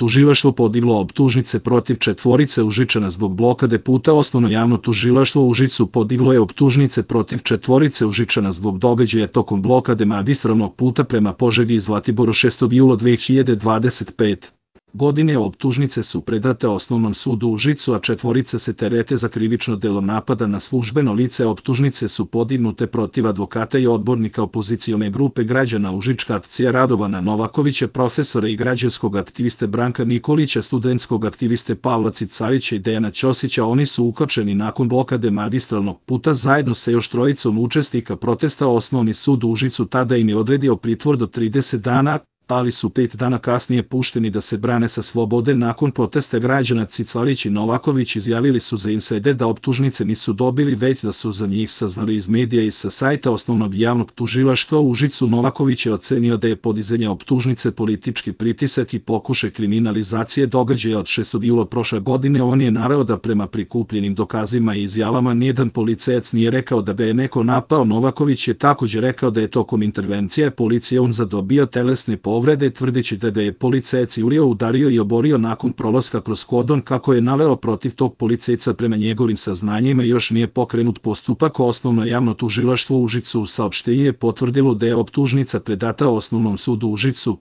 tužilaštvo podiglo optužnice protiv četvorice Užičana zbog blokade puta. Osnovno javno tužilaštvo u Užicu podiglo je optužnice protiv četvorice Užičana zbog događaja tokom blokade magistralnog puta prema Požegi i Zlatiboru 6. jula 2025. godine. Optužnice su predate Osnovnom sudu u Užicu, a četvorica se terete za krivično delo napada na službeno lice. Optužnice su podignute protiv advokata i odbornika opozicione grupe građana Užička akcija Radovana Novakovića, profesora i građanskog aktiviste Branka Nikolića, studentskog aktiviste Pavla Cicarića i Dejana Ćosića. Oni su uhapšeni nakon blokade magistralnog puta zajedno sa još trojicom učesnika protesta. Osnovni sud u Užicu tada im je odredio pritvor do 30 dana, ali su 5 dana kasnije pušteni da se brane sa slobode. Nakon protesta građana Cicarić i Novaković izjavili su za Inside da optužnice nisu dobili, već da su za njih saznali iz medija i sa sajta Osnovnog javnog tužilaštva u Užicu. Novaković je ocenio da je podizanje optužnice politički pritisak i pokušaj kriminalizacije događaja od 6. jula prošle godine. On je naveo da prema prikupljenim dokazima i izjavama nijedan policajac nije rekao da ga je neko napao. Novaković je također rekao da je tokom intervencije policije on zadobio telesne povrede, tvrdeći da ga je policajac Julio udario i oborio. Nakon prolaska kroz kordon, kako je naveo, protiv tog policajca prema njegovim saznanjima još nije pokrenut postupak. Osnovno javno tužilaštvo u Užicu u saopštenju je potvrdilo da je optužnica predata Osnovnom sudu u Užicu.